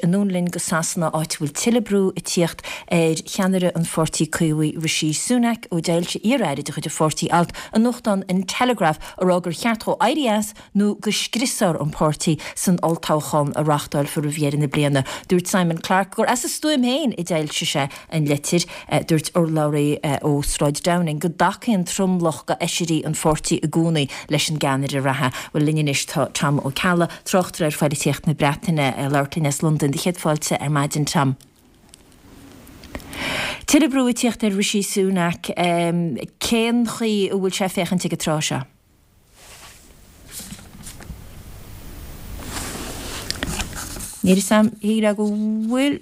Anonn linn go Sasana, áit a bhfuil tuilleadh brú ag tíocht ar cheannaire an Pháirtí Caomhaigh Rishi Sunak ó d'fhoilsigh iar-aire de chuid an pháirtí alt i nuachtán an Telegraph ag rá gur cheart dhó éirí as nó go scriosfar an páirtí san olltoghchán a reáchtálfar roimh dheireadh na bliana. Dúirt Simon Clarke gur as a stuaim féin a d'fhoilsigh sé an litir. Dúirt urlabhraí ó Sráid Downing go dtacaíonn tromlach d'fheisirí an pháirtí i gcónaí leis an gceannaire reatha. Bhuel, linn anois tá Tom Ó Ceallaigh, tráchtaire ar phoilitíocht na Breataine, ag labhairt linn as Londain. Do chéad fáilte ar maidin, Tom. Tuilleadh brú ag tíocht ar Rishi Sunak. Cén chaoi a bhfuil sé ag féachaint ag an tráth seo? Níl 'fhios a'm, shílfeá go bhfuil,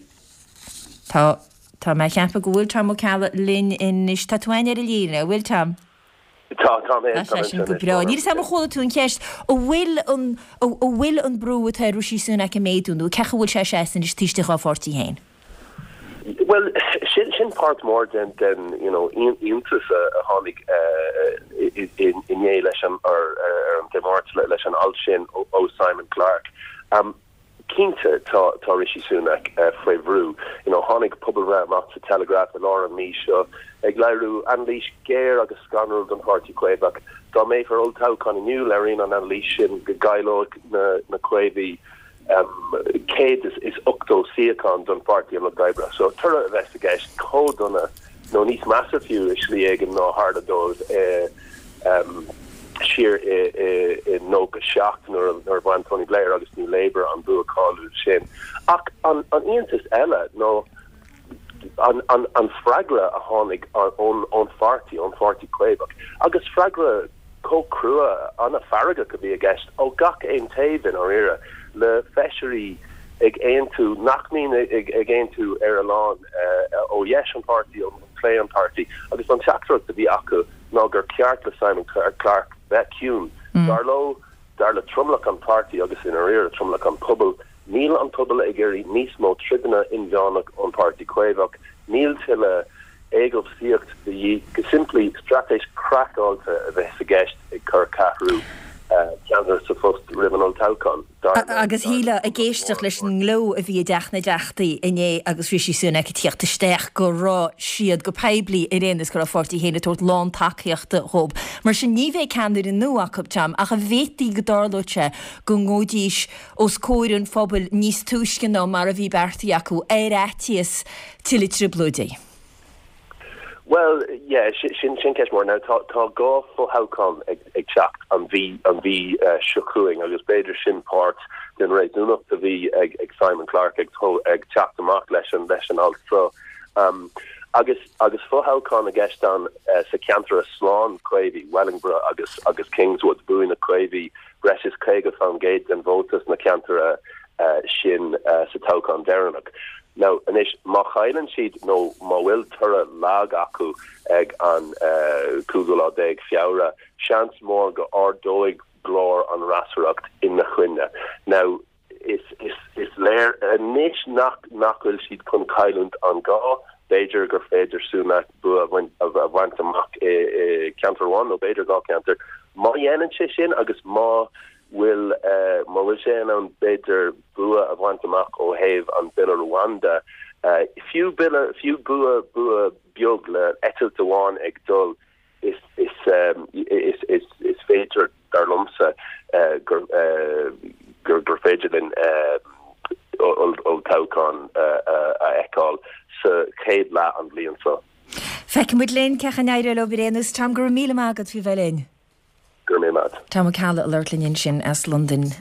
tá, tá mé a cheapadh go bhfuil Tom Ó Ceallaigh linn anois. Tá tú againn ar an líne, an bhfuil Tom? Tá, tá mé, tá mé sin go breá. Níl 'fhios a'm ar chuala tú an cheist, an bhfuil an, an bhfuil an brú atá ar Rishi Sunak ag méadú nó cén chaoi a bhfuil sé ag seasamh anois taobh istigh dá pháirtí féin? Bhuel, sin, sin páirt mór den, den, you know, iontas a tháinig inné leis an, ar, ar an Dé Máirt leis an alt sin ó Simon Clarke. Cinnte, tá, tá Rishi Sunak faoi bhrú. You know, tháinig pobalbhreith amach sa Telegraph i lár an mhí seo ag léiriú anailís géar agus scanrúil don Pháirtí Caomhach. Dá mbeadh olltoghchán inniu, léiríonn an anailís sin go gcaillfeadh na, na Caomhaigh 180 suíochán don Pháirtí an Lucht Oibre. So toradh a bheas i gceist chomh dona, nó níos measa fiú i slí éigin ná tharla dóibh siar i 97 nuair a bhain Tony Blair agus New Labour an bua cáiliúil sin. Ach an iontas eile ná an freagra a tháinig ón pháirtí, ón Pháirtí Caomhach, agus freagra chomh crua, an-fheargach a bhí i gceist ó gach aon taobh i ndáiríre, le feisirí ag aontú nach mbíonn ag aontú ar a lán ó dheis an pháirtí, ó chlé an pháirtí, agus an teachtaireacht a bhí acu ná gur ceart le Simon Clarke bheith ciúin. Dar leo, dar le tromlach an pháirtí agus i ndáiríre tromlach an pobail, níl an pobal ag iarraidh níos mó troideanna inmheánach ón Pháirtí Caomhach, níl tuilleadh éagobhsaíocht de dhíth, go simplí, straitéis craiceáilte a bheas i gceist ag cur ceathrú ceannaire sa phost roimh an olltoghchán, dar le Agus shílfeá, ag éisteacht leis an ngleo a bhí i dTeach na dTeachtaí inné agus Rishi Sunak ag tíocht isteach, go raibh siad go poiblí ar aon nós go raibh a pháirtí féin ag tabhairt lántacaíochta dhób. Mar sin, ní bheidh ceannaire nua acu, Tom, ach an bhféadfaí go dtarlódh sé go ngabhfaidís os comhair an phobail níos túisce ná mar a bhí beartaithe acu, ar fhaitíos tuilleadh trioblóidí. Bhuel, yeah, sin sin ceist mhór. Now tá tá dhá fho-thoghchán ag ag teacht an mhí an mhí seo chugainn agus b'fhéidir sin páirt den réasúnacht a bhí ag ag Simon Clarke ag ag teacht amach leis an leis an alt seo. Um, agus agus fo-thoghchán i gceist ann sa ceantar slán Caomhaigh, Wellingborough agus agus Kingswood, bhuaigh na Caomhaigh breis is 50% den vóta sna ceantair sin sa toghchán deireanach. Now, anois, má chailleann siad nó má bhfuil toradh lag acu ag an cúigiú lá déag Feabhra, seans mór go ardóidh glór an fhreasúracht ina choinne. Now, is, is, is léir anois nach, nach bhfuil siad chun cailliúint an dhá. B'fhéidir gur féidir Sunak bua a bhaint amach i gceantar amháin nó b'fhéidir dhá cheantar. Má dhéanann sé sin agus má bhfuil, má bhfuil sé in ann b'fhéidir bua a bhaint amach ó thaobh an Bille Rwanda, fiú bille, fiú bua, bua beag le eitilt amháin ag dul, is, is, is, is, is féidir, dar liomsa, gur, gur, gur féidir linn olltoghchán a fheiceáil sa chéad leath an bhliain seo. Feicfidh muid linn cén chaoi a n-éireoidh leo ar aon nós. Tom, go raibh míle maith agat faoi bheith linn. Go raibh míle maith agat. Tom Ó Ceallaigh ag labhairt linn ansin as Londain.